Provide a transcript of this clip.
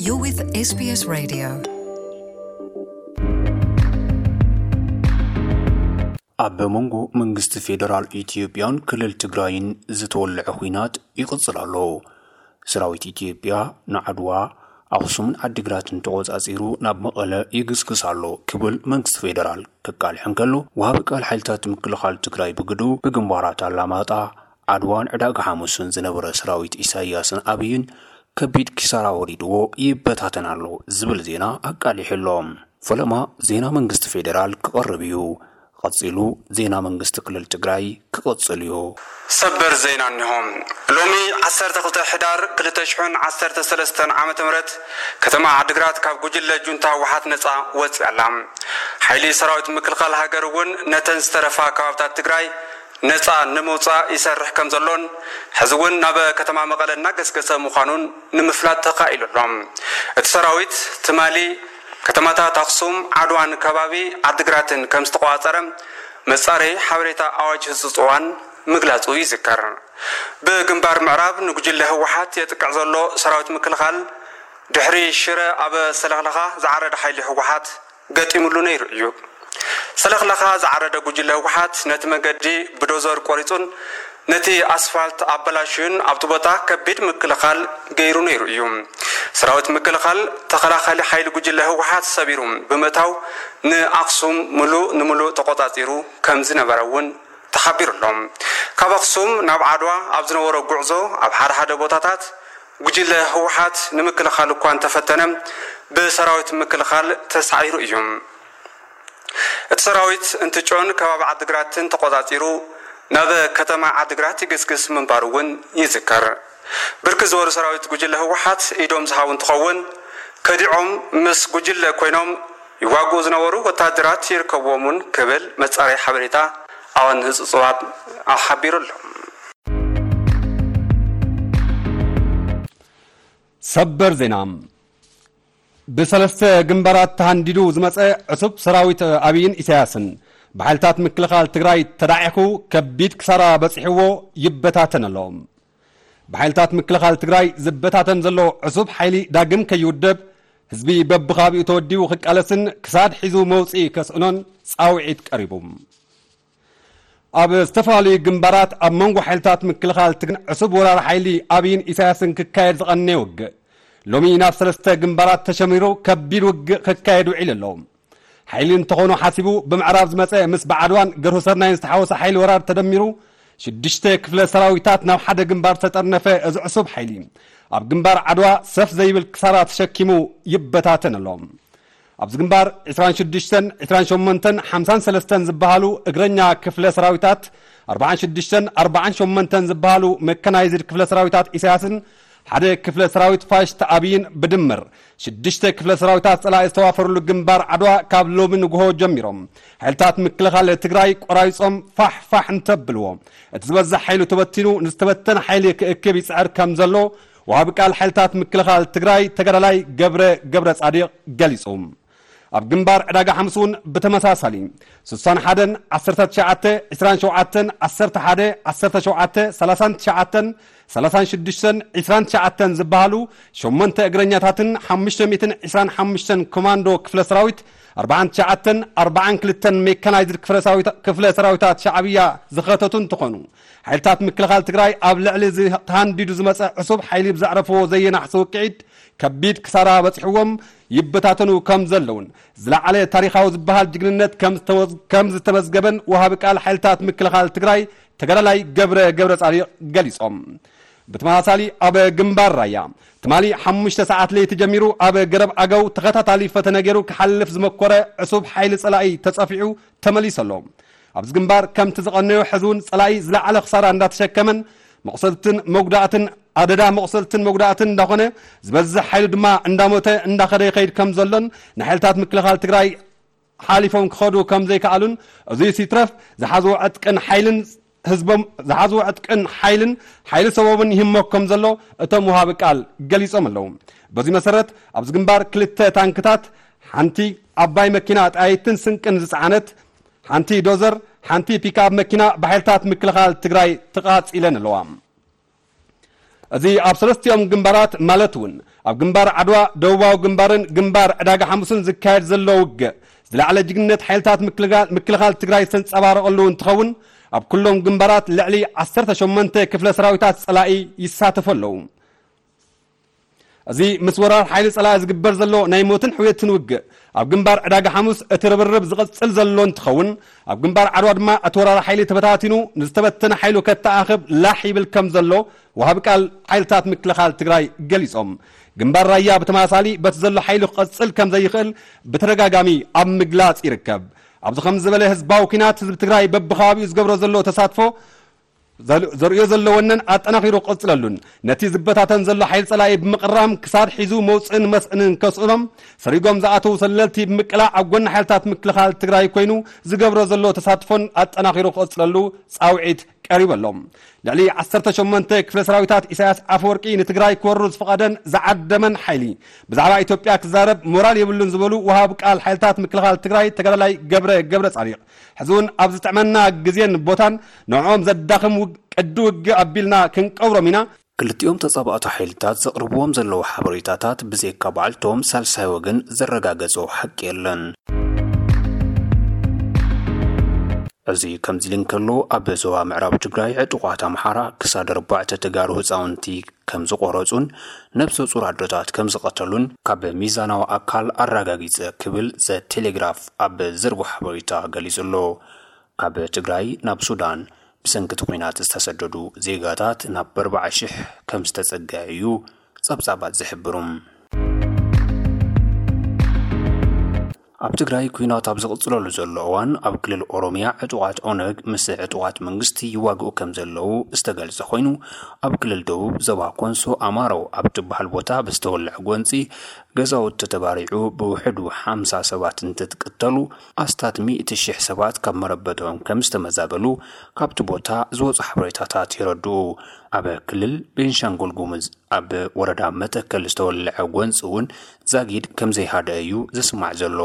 You're with S B S Radio. ኣብ መንጎ መንግስቲ ፌደራል ኢትዮጵያን ክልል ትግራይን ዝተወልዐ ኲናት ይቕጽል ኣሎ። ሰራዊት ኢትዮጵያ ንዓድዋ፣ ኣኽሱምን ዓዲግራትን ተቖጻጺሩ ናብ መቐለ ይግስግስ ኣሎ ክብል መንግስቲ ፌደራል ከቃልሕ እንከሎ፣ ወሃቢ ቃል ሓይልታት ምክልኻል ትግራይ ብግዱ ብግንባራት ኣላማጣ፣ ዓድዋን ዕዳጋ ሓሙስን ዝነበረ ሰራዊት ኢሳያስን ኣብይን ከቢድ ኪሳራ ወሪድዎ ይበታተን ኣሎ ዝብል ዜና ኣቃሊሑ ኣሎ። ፈለማ ዜና መንግስቲ ፌደራል ክቐርብ እዩ። ቀጺሉ ዜና መንግስቲ ክልል ትግራይ ክቕጽል እዩ። ሰበር ዜና እኒሆ። ሎሚ ዓሰርተ ክልተ ሕዳር ክልተ ሽሕን ዓሰርተ ሰለስተን ዓመተ ምህረት ከተማ ዓድግራት ካብ ጉጅለ ጁንታ ህወሓት ነፃ ወፂኣ ኣላ። ሓይሊ ሰራዊት ምክልኻል ሃገር እውን ነተን ዝተረፋ ከባብታት ትግራይ ነፃ ንምውፃእ ይሰርሕ ከም ዘሎን ሕዚ እውን ናብ ከተማ መቐለ እናገስገሰ ምዃኑን ንምፍላጥ ተኻኢሉ ኣሎ። እቲ ሰራዊት ትማሊ ከተማታት ኣኽሱም፣ ዓድዋን ከባቢ ዓድግራትን ከም ዝተቆፃፀረ መፃረዪ ሓበሬታ ኣዋጅ ህፁፅ እዋን ምግላፁ ይዝከር። ብግንባር ምዕራብ ንጉጅለ ህወሓት የጥቅዕ ዘሎ ሰራዊት ምክልኻል ድሕሪ ሽረ ኣብ ሰለኽለኻ ዝዓረደ ሓይሊ ህወሓት ገጢሙሉ ነይሩ እዩ። ሰለኽለኻ ዝዓረደ ጉጅለ ህወሓት ነቲ መገዲ ብዶዘር ቆሪፁን ነቲ ኣስፋልት ኣበላሽዩን ኣብቲ ቦታ ከቢድ ምክልኻል ገይሩ ነይሩ እዩ። ሰራዊት ምክልኻል ተኸላኻሊ ሓይሊ ጉጅለ ህወሓት ሰቢሩ ብምእታው ንኣኽሱም ምሉእ ንምሉእ ተቆፃፂሩ ከም ዝነበረ እውን ተሓቢሩ ኣሎ። ካብ ኣኽሱም ናብ ዓድዋ ኣብ ዝነበሮ ጉዕዞ ኣብ ሓደ ሓደ ቦታታት ጉጅለ ህወሓት ንምክልኻል እኳ እንተፈተነ ብሰራዊት ምክልኻል ተሳዒሩ እዩ። እቲ ሰራዊት እንትጮን ከባቢ ዓድግራትን ተቆፃፂሩ ናብ ከተማ ዓድግራት ይግስግስ ምንባሩ እውን ይዝከር። ብርክት ዝበሉ ሰራዊት ጉጅለ ህወሓት ኢዶም ዝሃቡ እንትኸውን ከዲዖም ምስ ጉጅለ ኮይኖም ይዋግኡ ዝነበሩ ወታደራት ይርከብዎም እውን ክብል መፃረይ ሓበሬታ ኣዋን ህፁፅ እዋን ሓቢሩ ኣሎ። ሰበር ዜና። ብሰለስተ ግንባራት ተሃንዲዱ ዝመጸ ዕሱብ ሰራዊት ኣብይን ኢሳያስን ብሓይልታት ምክልኻል ትግራይ ተዳዒኹ ከቢድ ክሳራ በጺሕዎ ይበታተን ኣሎ። ብሓይልታት ምክልኻል ትግራይ ዝበታተን ዘሎ ዕሱብ ሓይሊ ዳግም ከይውደብ ህዝቢ በብኻቢኡ ተወዲቡ ክቃለስን ክሳድ ሒዙ መውጽኢ ከስእኖን ጻውዒት ቀሪቡ። ኣብ ዝተፈላለዩ ግንባራት ኣብ መንጎ ሓይልታት ምክልኻል ትግራይን ዕሱብ ወራሪ ሓይሊ ኣብይን ኢሳያስን ክካየድ ዝቐነየ ውግእ ሎሚ ናብ ሰለስተ ግንባራት ተሸሚሩ ከቢድ ውግእ ክካየድ ውዒሉ ኣሎ። ሓይሊ እንተኾኑ ሓሲቡ ብምዕራብ ዝመፀ ምስ ብዓድዋን ገርሁሰርናይን ዝተሓወሰ ሓይሊ ወራር ተደሚሩ ሽዱሽተ ክፍለ ሰራዊታት ናብ ሓደ ግንባር ዝተጠርነፈ እዚ ዕሱብ ሓይሊ ኣብ ግንባር ዓድዋ ሰፍ ዘይብል ክሳራ ተሸኪሙ ይበታተን ኣሎ። ኣብዚ ግንባር ዕስራን ሽዱሽተን፣ ዕስራን ሸሞንተን፣ ሓምሳን ሰለስተን ዝበሃሉ እግረኛ ክፍለ ሰራዊታት፣ ኣርባዓን ሽዱሽተን፣ ኣርባዓን ሸሞንተን ዝበሃሉ መከናይዝድ ክፍለ ሰራዊታት ኢሳያስን ሓደ ክፍለ ሰራዊት ፋሽስት ኣብይን ብድምር ሽዱሽተ ክፍለ ሰራዊታት ጸላኢ ዝተዋፈሩሉ ግንባር ዓድዋ ካብ ሎሚ ንግሆ ጀሚሮም ሓይልታት ምክልኻል ትግራይ ቆራሪጾም ፋሕ ፋሕ እንተብልዎ እቲ ዝበዝሕ ሓይሉ ተበቲኑ ንዝተበተነ ሓይሊ ክእክብ ይጽዕር ከም ዘሎ ወሃቢ ቃል ሓይልታት ምክልኻል ትግራይ ተጋዳላይ ገብረ ገብረ ጻዲቕ ገሊጹ። ኣብ ግንባር ዕዳጋ ሓሙስ እውን ብተመሳሳሊ ስሳን ሓደን ዓሰርተ ትሽዓተ ዕስራን ሸውዓተን ዓሰርተ ሓደ ዓሰርተ ሸውዓተ ሰላሳን ትሽዓተን ሰላሳን ሽዱሽተን ዕስራን ትሽዓተን ዝበሃሉ ሸሞንተ እግረኛታትን ሓሙሽተ ሚእትን ዕስራን ሓሙሽተን ኮማንዶ ክፍለ ሰራዊት ኣርባዓን ትሽዓተን ኣርባዓን ክልተን ሜካናይዝድ ክፍለ ሰራዊት- ክፍለ ሰራዊታት ሻዕብያ ዝኸተቱ እንትኾኑ ሓይልታት ምክልኻል ትግራይ ኣብ ልዕሊ እዚ ተሃንዲዱ ዝመፀ ዕሱብ ሓይሊ ብዘዕረፍዎ ዘየናሕሲ ውቅዒት ከቢድ ክሳራ በፂሕዎም ይበታተኑ ከም ዘለውን ዝለዓለ ታሪኻዊ ዝበሃል ጅግንነት ከም ዝተወዝ- ከም ዝተመዝገበን ወሃቢ ቃል ሓይልታት ምክልኻል ትግራይ ተጋዳላይ ገብረ ገብረ ጻዲቕ ገሊጾም። ብተመሳሳሊ ኣብ ግንባር ራያ ትማሊ ሓሙሽተ ሰዓት ለይቲ ጀሚሩ ኣብ ገረብ ኣገው ተኸታታሊ ፈተነ ገይሩ ክሓልፍ ዝመኮረ ዕሱብ ሓይሊ ጸላኢ ተጸፊዑ ተመሊሱ ኣሎ። ኣብዚ ግንባር ከምቲ ዝቐነዮ ሕዚ እውን ጸላኢ ዝለዓለ ክሳራ እንዳተሸከመን መቑሰልትን መጉዳእትን ኣደዳ መቑሰልትን መጉዳእትን እንዳኾነ ዝበዝሕ ሓይሉ ድማ እንዳሞተ እንዳኸደ ይኸይድ ከም ዘሎን ንሓይልታት ምክልኻል ትግራይ ሓሊፎም ክኸዱ ከም ዘይከኣሉን እዙይ ሲትረፍ ዝሓዝዎ ዕጥቅን ሓይልን ህዝቦም ዝሓዝዎ ዕጥቅን ሓይልን ሓይሊ ሰቦምን ይህመክ ከም ዘሎ እቶም ወሃቢ ቃል ገሊጾም ኣለዉ። በዚ መሰረት ኣብዚ ግንባር ክልተ ታንክታት ሓንቲ ዓባይ መኪና ጣይትን ስንቅን ዝጸዓነት ሓንቲ ዶዘር ሓንቲ ፒክኣፕ መኪና ብሓይልታት ምክልኻል ትግራይ ተቓጺለን ኣለዋ። እዚ ኣብ ሰለስቲኦም ግንባራት ማለት እውን ኣብ ግንባር ዓድዋ፣ ደቡባዊ ግንባርን ግንባር ዕዳጋ ሓሙስን ዝካየድ ዘሎ ውግእ ዝለዓለ ጅግንነት ሓይልታት ምክልጋ-፣ ምክልኻል ትግራይ ዝተንጸባረቐሉ እንትኸውን፣ ኣብ ኩሎም ግንባራት ልዕሊ ዓሰርተ ሸሞንተ ክፍለ ሰራዊታት ጸላኢ ይሳተፉ ኣለዉ። እዚ ምስ ወራር ሓይሊ ጸላኢ ዝግበር ዘሎ ናይ ሞትን ሕውየትን ውግእ፣ ኣብ ግንባር ዕዳጋ ሓሙስ እቲ ርብርብ ዝቕጽል ዘሎ እንትኸውን፣ ኣብ ግንባር ዓድዋ ድማ እቲ ወራር ሓይሊ ተበታቲኑ ንዝተበተነ ሓይሉ ከተኣኽብ ላሕ ይብል ከም ዘሎ ወሃቢ ቃል ሓይልታት ምክልኻል ትግራይ ገሊጾም። ግንባር ራያ ብተመሳሳሊ በቲ ዘሎ ሓይሉ ክቐጽል ከም ዘይኽእል ብተደጋጋሚ ኣብ ምግላጽ ይርከብ። ኣብዚ ከም ዝበለ ህዝባዊ ኲናት ህዝቢ ትግራይ በብኸባቢኡ ዝገብሮ ዘሎ ተሳትፎ ዘር-፣ ዘርእዮ ዘሎ ወነን ኣጠናኺሩ ክቕጽለሉን ነቲ ዝበታተን ዘሎ ሓይሊ ጸላኢ ብምቕራም ክሳድ ሒዙ መውፅእን መስእንን ከስእኖም ሰሪጎም ዝኣተዉ ሰለልቲ ብምቅላዕ ኣብ ጎኒ ሓይልታት ምክልኻል ትግራይ ኮይኑ ዝገብሮ ዘሎ ተሳትፎን ኣጠናኺሩ ክቕጽለሉ ጻውዒት ቀሪቡ ኣሎ። ልዕሊ ዓሰርተ ሸሞንተ ክፍለ ሰራዊታት ኢሳያስ ኣፈወርቂ ንትግራይ ክወሩ ዝፈቐደን ዝዓደመን ሓይሊ ብዛዕባ ኢትዮጵያ ክዛረብ ሞራል የብሉን ዝበሉ ወሃብ ቃል ሓይልታት ምክልኻል ትግራይ ተጋዳላይ ገብረ ገብረ ጻዲቕ፣ ሕዚ እውን ኣብ ዝጥዕመና ግዜን ቦታን ንዕኦም ዘዳኽም ውግ-፣ ቅዲ ውግእ ኣቢልና ክንቀብሮም ኢና። ክልቲኦም ተጻባእቲ ሓይልታት ዘቕርብዎም ዘለዉ ሓበሬታታት ብዘይካ ባዕልቶም ሳልሳይ ወገን ዘረጋገጾ ሓቂ የለን። እዚ ከምዚ ኢሉ እንከሎ፣ ኣብ ዞባ ምዕራብ ትግራይ ዕጡቓት ኣምሓራ ክሳድ ኣርባዕተ ተጋሩ ህፃውንቲ ከም ዝቖረጹን ነብሰ ጹር ኣዶታት ከም ዝቐተሉን ካብ ሚዛናዊ ኣካል ኣረጋጊጸ ክብል ዘ ቴሌግራፍ ኣብ ዘርግሖ ሓበሬታ ገሊጹ ኣሎ። ካብ ትግራይ ናብ ሱዳን ብሰንኪ እቲ ኲናት ዝተሰደዱ ዜጋታት ናብ ኣርባዓ ሽሕ ከም ዝተጸግዐ እዩ ጸብጻባት ዝሕብሩ። ኣብ ትግራይ ኲናት ኣብ ዝቕጽለሉ ዘሎ እዋን፣ ኣብ ክልል ኦሮሚያ ዕጡቓት ኦነግ ምስ ዕጡቓት መንግስቲ ይዋግኡ ከም ዘለዉ ዝተገልጸ ኮይኑ፣ ኣብ ክልል ደቡብ ዞባ ኮንሶ ኣማሮ ኣብ ትበሃል ቦታ ብዝተወልዐ ጎንጺ ገዛውቲ ተባሪዑ ብውሕዱ ሓምሳ ሰባት እንትትቅተሉ፣ ኣስታት ሚእቲ ሽሕ ሰባት ካብ መረበቶም ከም ዝተመዛበሉ ካብቲ ቦታ ዝወጹ ሓበሬታታት የረድኡ። ኣብ ክልል ቤንሻንጉል ጉሙዝ ኣብ ወረዳ መተከል ዝተወልዐ ጎንፂ እውን ዛጊድ ከም ዘይሃደ እዩ ዝስማዕ ዘሎ።